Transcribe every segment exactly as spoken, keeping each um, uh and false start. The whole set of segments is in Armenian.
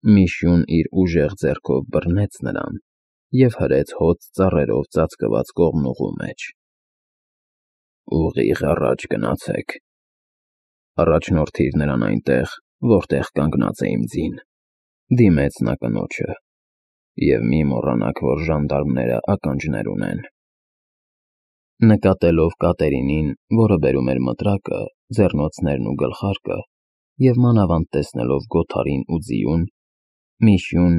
Միշյուն իր ուժեղ ձեռքով բռնեց նրան և հրեց հոծ ծառերով ծածկված կողմնուղու մեջ։ «Ուղիղ առաջ գնացեք, առաջնորդիր նրան այնտեղ, որտեղ կանգնած է իմ ձին», դիմեց նա կնոջը, «և մի մոռանաք, որ ժանդարմները ականջներ ունեն»։ Նկատելով Կատերինին, որը բերում էր մտրակը, ձեռնոցներն ու գլխարկը, և մանավանդ տեսնելով Գոթարին ու ձիուն, Միշյուն,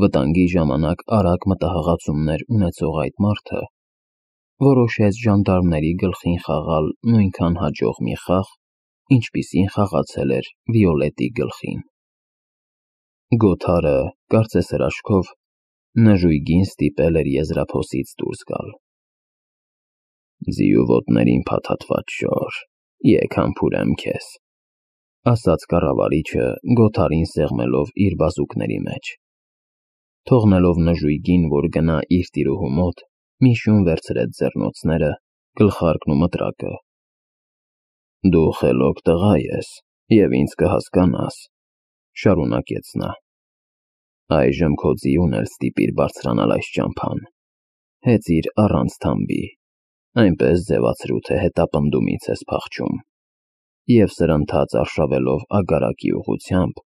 վտանգի ժամանակ արագ մտահղացումներ ունեցող այդ մարդը, որոշեց ժանդարմների գլխին խաղալ նույնքան հաջող մի խաղ, ինչպիսին խաղացել էր Վիոլետի գլխին։ Գոթարը, կարծես հրաշքով, նժույգին ստիպել էր եզրափոսից դուրս գալ։ «Ձիու ոտներին փաթաթված շոր, եկ համբուրեմ քեզ», ասաց կառավարիչը, Գոթարին սեղմելով իր բազուկների մեջ։ Թողնելով նժույգին, որ գնա իր տիրուհու մոտ, Միշյուն վերցրեց ձեռնոցները, գլխարկն ու մտրակը։ «Դու խելոք տղա ես և ինձ կհասկանաս», շարունակեց նա։ «Այժմ քո ձիուն էլ ստիպիր բարձրանալ այս ճամփան, հեծիր առանց թամբի, այնպես ձևացրու, թե հետապնդումից ես փախչում, և սրընթաց արշավելով ագարակի ուղղությամբ,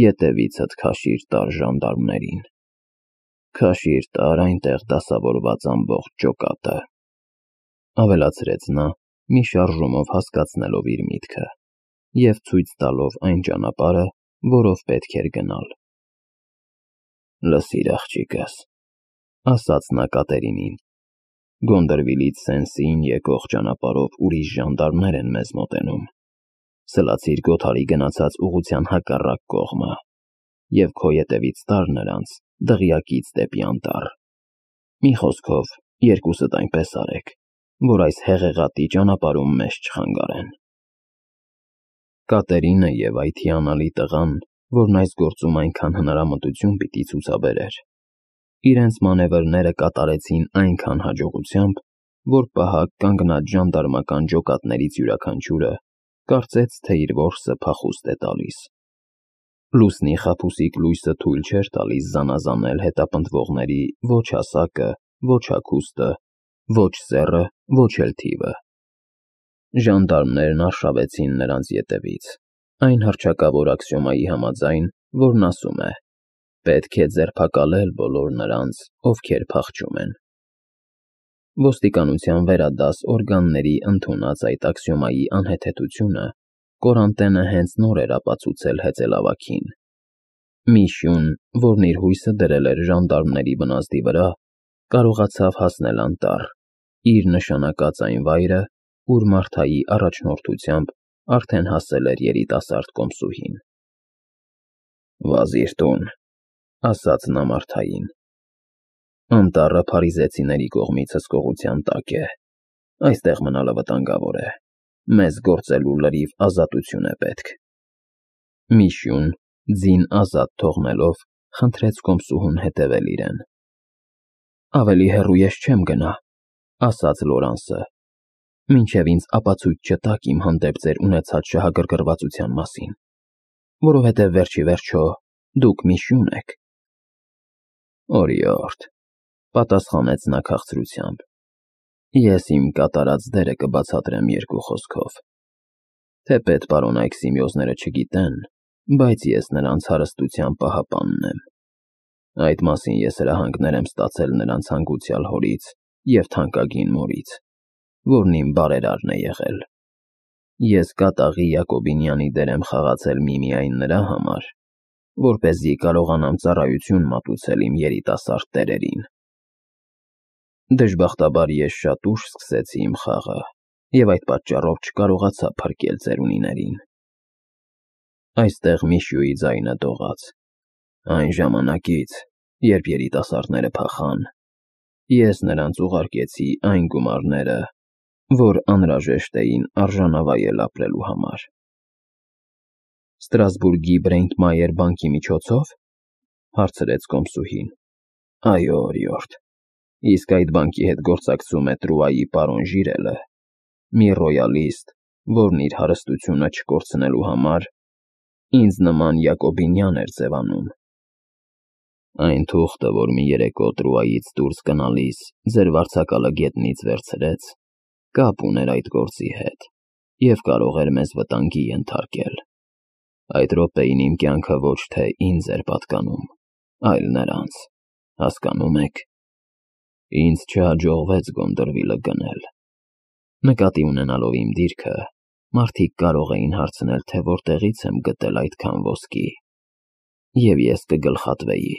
ետևիցդ քաշիր տար ժանդարմներին, քաշիր տար այնտեղ դասավորված ամբողջ ջոկատը», ավելացրեց նա, մի շարժումով հասկացնելով իր միտքը և ցույց տալով այն ճանապարհը, որով պետք էր գնալ։ «Լսիր, աղջիկս», ասաց նա Կատերինին, «Գոնդրվիլից Սեն-Սիին եկող ճանապարհով ուրիշ ժանդարմներ են մեզ մոտենում, սլացիր Գոթարի գնացած ուղղության հակառակ կողմը և քո ետևից տար նրանց դղյակից դեպի անտառ։ Մի խոսքով, երկուսդ այնպես արեք, որ այս հեղեղատի ճանապարհում մեզ չխանգարեն»։ Կատերինը և այդ հիանալի տղան, որն այս գործում այնքան հնարամտություն պիտի ցուցաբերեր, իրենց մանևրները կատարեցին այնքան հաջողությամբ, որ պահակ կանգնած ժանդարմական ջոկատներից յուրաքանչյուրը կարծեց, թե իր որսը փախուստ է տալիս։ Լուսնի խաբուսիկ լույսը թույլ չէր տալիս զանազանել հետապնդվողների ոչ հասակը, ոչ հագուստը, ոչ սեռը, ոչ էլ թիվը։ Ժանդարմներն արշավեցին նրանց ետևից, այն հռչակավոր աքսիոմայի համաձայն, որն ասում է. «Պետք է ձերբակալել բոլոր նրանց, ովքեր փախչում են»։ Ոստիկանության վերադաս օրգանների ընդունած այդ աքսիոմայի անհեթեթությունը Կորանտենը հենց նոր էր ապացուցել հեծելավագին։ Միշյուն, որն իր հույսը դրել էր ժանդարմների բնազդի վրա, կարողացավ հասնել անտառ, իր նշանակած այն վայրը, ուր Մարթայի առաջնորդությամբ արդեն հասել էր երիտասարդ կոմսուհին։ «Վազիր տուն», ասաց նա Մարթային։ «Անտառը փարիզեցիների կողմից հսկողության տակ է, այստեղ մնալը վտանգավոր է, մեզ գործելու լրիվ ազատություն է պետք»։ Միշյուն, ձին ազատ թողնելով, խնդրեց կոմսուհուն հետևել իրեն։ «Ավելի հեռու ես չեմ գնա», ասաց Լորանսը, «մինչև ինձ ապացույց չտաք իմ հանդեպ ձեր ունեցած շահագրգռվածության մասին, որովհետև վերջիվերջո դուք Միշյուն եք»։ «Օրիորդ», պատասխանեց նա քաղցրությամբ, «ես իմ կատարած դերը կբացատրեմ երկու խոսքով։ Թեպետ պարոն Այքսիմեոզները չգիտեն, բայց ես նրանց հարստության պահապանն եմ։ Այդ մասին ես հրահանգներ եմ ստացել նրանց հանգուցյալ հորից և թանկագին մորից, որն իմ բարերարն է եղել։ Ես կատաղի Յակոբինյանի դեր եմ խաղացել միմիայն նրա համար, որպեսզի կարողանամ ծառայություն մատուցել իմ երիտասարդ տերերին։ Դժբախտաբար ես շատ ուշ սկսեցի իմ խաղը և այդ պատճառով չկարողացա փրկել ծերունիներին։ Այստեղ Միշյուի ձայնը դողաց։ Այն ժամանակից, երբ երիտասարդները փախան, ես նրանց ուղարկեցի այն գումարները, որ անհրաժեշտ էին արժանավայել ապրելու համար»։ «Ստրասբուրգի Բրեյնտմայեր բանկի միջոցո՞վ», հարցրեց կոմսուհին։ «Այո, օրիորդ, իսկ այդ բանկի հետ գործակցում է Տրուայի պարոն Ժիրելը, մի ռոյալիստ, որն իր հարստությունը չկորցնելու համար ինձ նման Յակոբինյան էր ձևանում Այն թուղթը, որ մի երեկո Տրուայից դուրս գնալիս ձեր վարձակալը գետնից վերցրեց, կապ ուներ այդ գործի հետ և կարող էր մեզ վտանգի ենթարկել։ Այդ րոպեին իմ կյանքը ոչ թե ինձ էր պատկանում, այլ նրանց, հասկանում եք։ Ինձ չհաջողվեց Գոնդորվիլը գնել։ Նկատի ունենալով իմ դիրքը, մարդիկ կարող էին հարցնել, թե որտեղից եմ գտել այդքան ոսկի, և ես կգլխատվեի։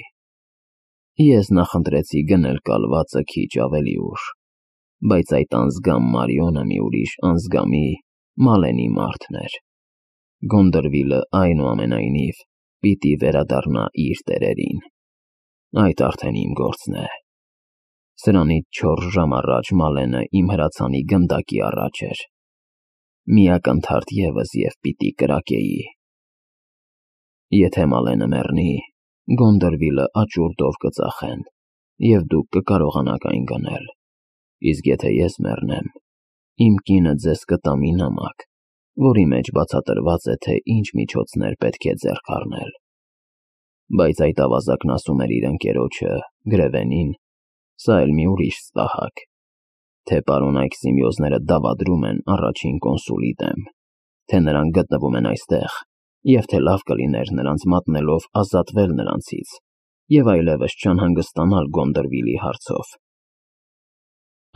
Ես նախընտրեցի գնել կալվածը քիչ ավելի ուշ, բայց այդ անձգամ Մարիոնը մի ուրիշ անձգամի Մալենի մարդն էր։ Գոնդորվիլը այնուամենայնիվ պիտի վերադառնա իր տերերին։ Այդ արդեն իմ գործն է։ Սրանից չորս ժամ առաջ Մալենը իմ հրացանի գնդակի առաջ էր։ Մի ակնթարթ ևս և պիտի կրակեի։ Եթե Մալենը մեռնի, Գոնդորվիլը աճուրդով կծախեն, և դուք կկարողանաք այն գնել, իսկ եթե ես մեռնեմ, իմ կինը ձեզ կտա մի նամակ, որի մեջ բացատրված է, թե ինչ միջոցներ պետք է ձեռք առնել։ Բայց այդ ավազակն ասում էր իր ընկերոջը՝ Գրևենին, սա էլ մի ուրիշ սպահակ, թե պարոն Այքսիմեոզները դավադրում են առաջին կոնսուլի դեմ, թե նրանք գտնվում են այստեղ, և թե լավ կլիներ նրանց մատնելով ազատվել նրանցից և այլևս չանհանգստանալ Գոնդորվիլի հարցով։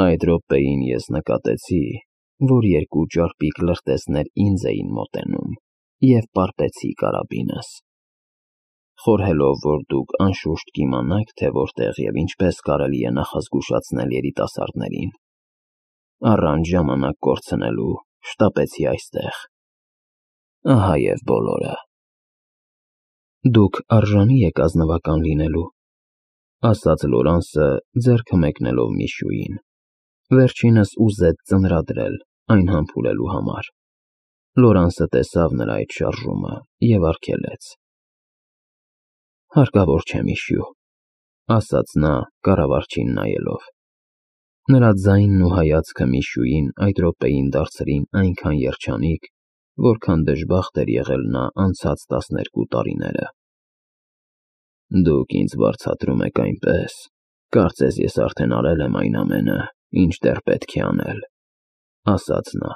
Այդ րոպեին ես նկատեցի, որ երկու ճարպիկ լրտեսներ ինձ էին մոտենում, և պարպեցի կարաբինս։ Խորհելով, որ դուք անշուշտ կիմանաք, թե որտեղ և ինչպես կարելի է նախազգուշացնել երիտասարդներին, առանց ժամանակ կորցնելու շտապեցի այստեղ։ Ահա և բոլորը։ Դուք արժանի եք ազնվական լինելու, ասաց Լորանսը, ձեռքը մեկնելով Միշուին։ Վերջինս ուզեց ծնրադրել, այն համբուրելու համար։ Լորանսը տեսավ նրա այդ շարժումը և արգելեց։ Հարկավոր չէ, Միշու, ասաց նա, կառավարչին նայելով։ Նրա ձայնն ու հայացքը Միշուին այդ րոպեին դարձրին այնքան երջանիկ, որքան դժբախտ էր եղել նա անցած տասներկու տարիները։ Դուք ինձ վարձատրում եք այնպես, կարծես ես արդեն արել եմ այն ամենը, ինչ դեռ պետք է անել, ասաց նա։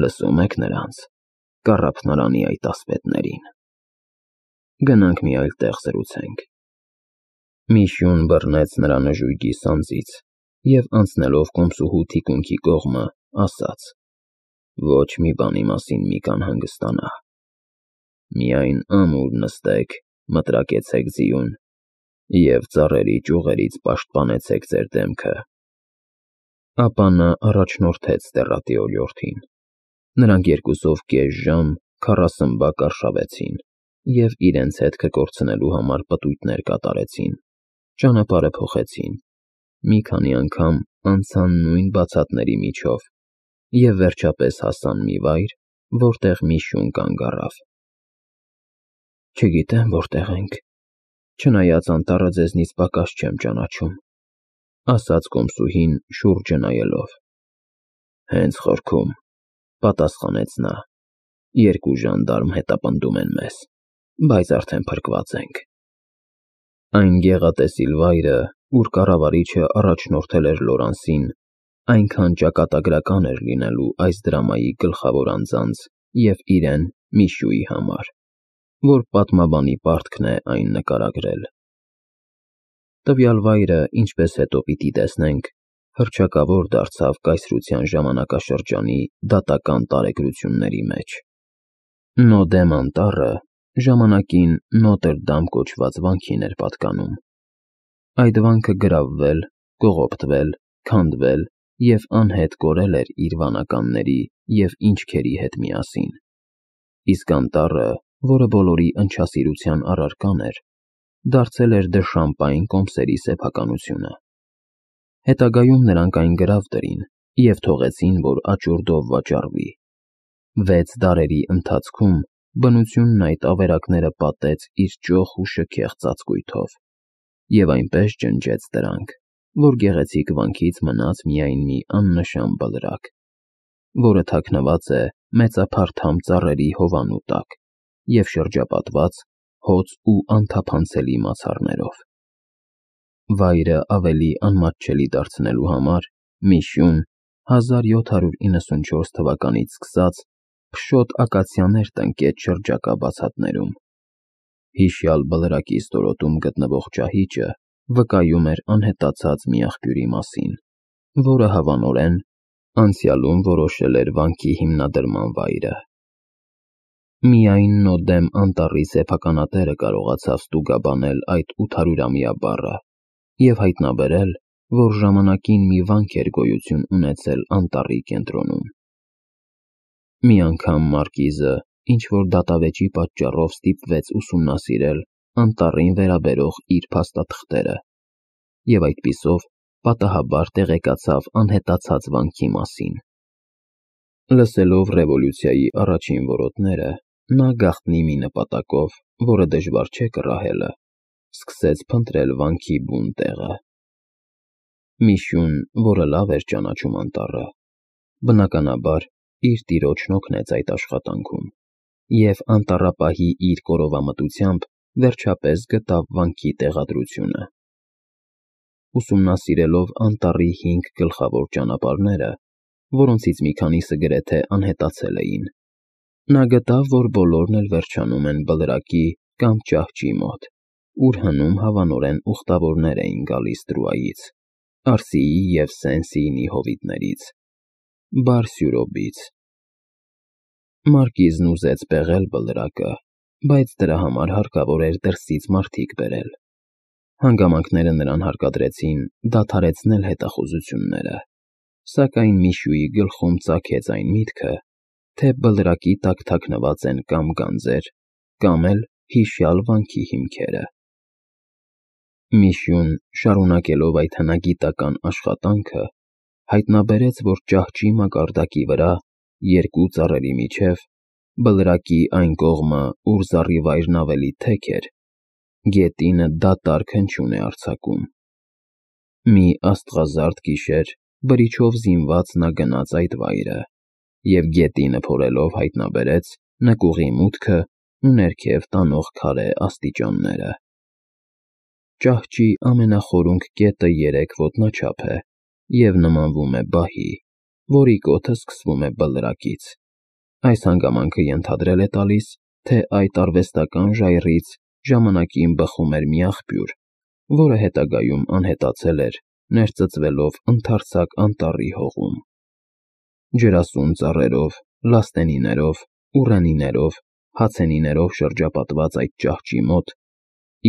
Լսում եք նրանց, կառափնարանի այդ ասպետներին։ Գնանք մի այլ տեղ զրուցենք։ Միշուն բռնեց նրա նժույգի սանձից և անցնելով կոմսուհու թիկունքի կողմը, ասաց. Ոչ մի բանի մասին մի կանհանգստանա։ Միայն ամուր նստեք, մտրակեցեք ձիուն և ծառերի ճյուղերից պաշտպանեցեք ձեր դեմքը։ Ապա նա առաջնորդեց տեռատի օրիորդին։ Նրանք երկուսով կես ժամ քառասմբակ արշավեցին և իրենց հետքը կորցնելու համար պտույտներ կատարեցին, ճանապարհը փոխեցին, մի քանի անգամ անցան նույն բացատների միջով և վերջապես հասան մի վայր, որտեղ Միշուն կանգ առավ։ Չգիտեմ որտեղ ենք, չնայած անտառը ձեզնից պակաս չեմ ճանաչում, ասաց կոմսուհին շուրջը նայելով։ Հենց խորքում, պատասխանեց նա, երկու ժանդարմ հետապնդում են մեզ, բայց արդեն փրկված ենք։ Այն գեղատեսիլ վայրը, ուր կառավարիչը առաջնորդել էր Լորանսին, այնքան ճակատագրական էր լինելու այս դրամայի գլխավոր անձանց և իրեն՝ Միշուի համար, որ պատմաբանի պարտքն է այն նկարագրել։ Տվյալ վայրը, ինչպես հետո պիտի տեսնենք, հռչակավոր դարձավ կայսրության ժամանակաշրջանի դատական տարեգրությունների մեջ։ Նոդեմ անտառը ժամանակին Նոտրդամ կոչված վանքին էր պատկանում։ Այդ վանքը գրավվել, կողոպտվել, քանդվել և անհետ կորել էր իր վանականների և ինչքերի հետ միասին։ Իսկ անտառը, որը բոլորի ընչասիրության առարկան էր, դարձել էր դժշամպայն կոմսերի սեփականությունը։ Հետագայում նրանք այն գրավ դրին և թողեցին, որ աճուրդով վաճառվի։ Վեց դարերի ընթացքում բնությունն այդ ավերակները պատեց իր ճոխ ու շքեղ ծածկույթով և այնպես ջնջեց դրանք, որ գեղեցիկ վանքից մնաց միայն մի աննշան բլրակ, որը թաքնված է մեծափարթամ ծառերի հովանու տակ և շրջապատված հոծ ու անթափանցելի մացառներով։ Վայրը ավելի անմատչելի դարձնելու համար Միշյուն հազար յոթ հարյուր իննսունչորս թվականից սկսած փշոտ ակացիաներ տնկեց շրջակա բացատներում։ Հիշյալ բլրակի ստորոտում գտնվող ճահիճը վկայում էր անհետացած մի աղբյուրի մասին, որը հավանորեն անցյալում որոշել էր վանքի հիմնադրման վայրը։ Միայն Նոդեմ անտառի սեփականատերը կարողացավ ստուգաբանել այդ ութ հարյուրամյա բառը և հայտնաբերել, որ ժամանակին մի վանք էր գոյություն ունեցել անտառի կենտրոնում։ Մի անգամ Մարկիզը ինչ-որ դատավեճի պատճառով ստիպվեց ուսումնասիրել անտառին վերաբերող իր փաստաթղթերը և այդպիսով պատահաբար տեղեկացավ անհետացած վանքի մասին։ Լսելով ռևոլյուցիայի առաջին որոտները, նա գաղտնի մի նպատակով, որը դժվար չէ կռահելը, սկսեց փնտրել վանքի բուն տեղը։ Միշյուն, որը լավ էր ճանաչում անտառը, բնականաբար իր տիրոջն օգնեց այդ աշխատանքում և անտառապահի իր կորովամտությամբ վերջապես գտավ վանքի տեղադրությունը։ Ուսումնասիրելով անտառի հինգ գլխավոր ճանապարհները, որոնցից մի քանիսը գրեթե անհետացել էին, նա գտավ, որ բոլորն էլ վերջանում են բլրակի կամ ճահճի մոտ, ուր հնում հավանորեն ուխտավորներ էին գալիս Տրուայից, Արսիի և Սեն-Սիինի հովիտներից, Բար-Սյուրոբից։ Մարկիզն ուզեց պեղել բլրակը, բայց դրա համար հարկավոր էր դրսից մարդիկ բերել։ Հանգամանքները նրան հարկադրեցին դադարեցնել հետախուզությունները, սակայն Միշյուի գլխում ծագեց այն միտքը, թե բլրակի տակ թաքնված են կամ գանձեր, կամ էլ հիշյալ վանքի հիմքերը։ Միշյուն, շարունակելով այդ հնագիտական աշխատանքը, հայտնաբերեց, որ ճահճի մակարդակի վրա, երկու ծառերի միջև, բլրակի այն կողմը, ուր զառիվայրն ավելի թեք էր, գետինը դատարկ հնչյուն է արձակում։ Մի աստղազարդ գիշեր բրիչով զինված նա գնաց այդ վայրը և գետինը փորելով հայտնաբերեց նկուղի մուտքը ու ներքև տանող քարե աստիճանները։ Ճահճի ամենախորունկ կետը երեք ոտնաչափ է և նմանվում է բահի, որի կոթը սկսվում է բլրակից։ Այս հանգամանքը ենթադրել է տալիս, թե այդ արվեստական ժայռից ժամանակին բխում էր մի աղբյուր, որը հետագայում անհետացել էր, ներծծվելով ընդարձակ անտառի հողում։ Ջրասուն ծառերով, լաստենիներով, ուռենիներով, հացենիներով շրջապատված այդ ճահճի մոտ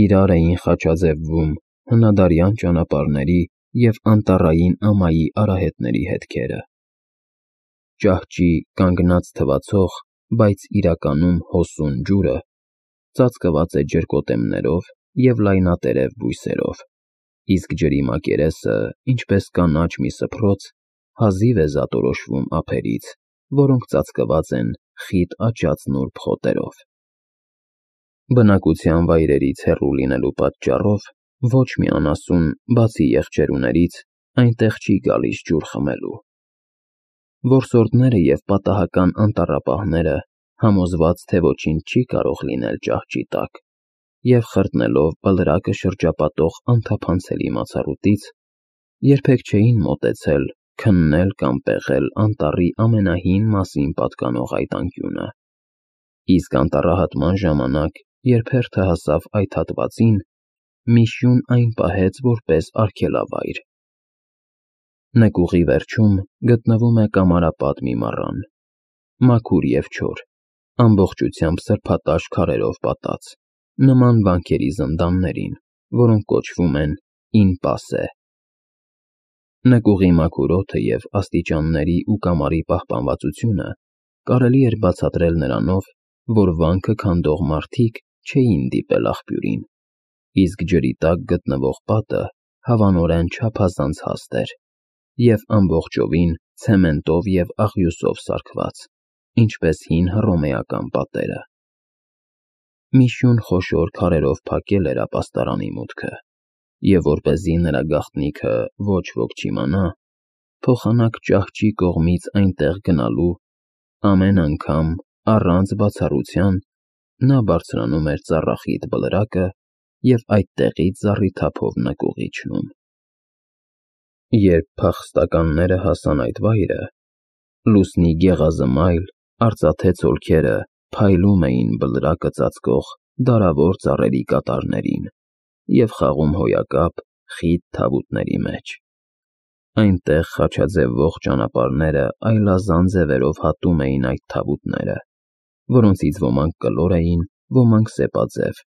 իրար էին խաչաձևվում հնադարյան ճանապարհների և անտառային ամայի արահետների հետքերը։ Ճահճի կանգնած թվացող, բայց իրականում հոսուն ջուրը ծածկված է ջրկոտեմներով և լայնատերև բույսերով, իսկ ջրի մակերեսը, ինչպես կանաչ մի սփռոց, հազիվ է զատորոշվում ափերից, որոնք ծածկված են խիտ աճած նուրբ խոտերով։ Բնակության վայրերից հեռու լինելու պատճառով ոչ մի անասուն, բացի եղջերուներից, այնտեղ չի գալիս ջուր խմելու։ Որսորդները և պատահական անտառապահները, համոզված, թե ոչինչ չի կարող լինել ճահճի տակ, և խրտնելով բլրակը շրջապատող անթափանցելի մացառուտից, երբեք չէին մոտեցել քննել կամ պեղել անտառի ամենահին մասին պատկանող այդ անկյունը։ Իսկ անտառահատման ժամանակ, երբ հերթը հասավ այդ հատվածին, Միշյուն այն պահեց որպես արգելավայր։ Նկուղի վերջում գտնվում է կամարապատ մի մառան, մաքուր և չոր, ամբողջությամբ սրբատաշ քարերով պատած, նման վանքերի զնդաններին, որոնք կոչվում են Ին-Պասե։ Նկուղի մաքուր օդը և աստիճանների ու կամարի պահպանվածությունը կարելի էր բացատրել նրանով, որ վանքը քանդող մարդիկ չէին դիպել աղբյուրին, իսկ ջրի տակ գտնվող պատը հավանորեն չափազանց հաստ էր և ամբողջովին ցեմենտով և աղյուսով սարքված, ինչպես հին հռոմեական պատերը։ Միշյուն խոշոր քարերով փակել էր ապաստարանի մուտքը, և որպեսզի նրա գաղտնիքը ոչ ոք չիմանա, փոխանակ ճահճի կողմից այնտեղ գնալու ամեն անգամ, առանց բացառության, նա բարձրանում էր ծառախիտ բլրակը և այդտեղից զառիթափով նկուղ իջնում։ Երբ փախստականները հասան այդ վայրը, լուսնի գեղազմայլ, արծաթե ցոլքերը փայլում էին բլրակը ծածկող դարավոր ծառերի կատարներին և խաղում հոյակապ, խիտ թավուտների մեջ։ Այնտեղ խաչաձև ողջ ճանապարհները այլազան ձևերով հատում էին այդ թավուտները, որոնցից ոմանք կլոր էին, ոմանք՝ սեպաձև,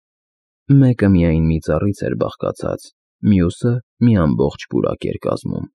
մեկը միայն մի ծառից էր բաղկացած, մյուսը մի ամբողջ պուրակ էր կազմում։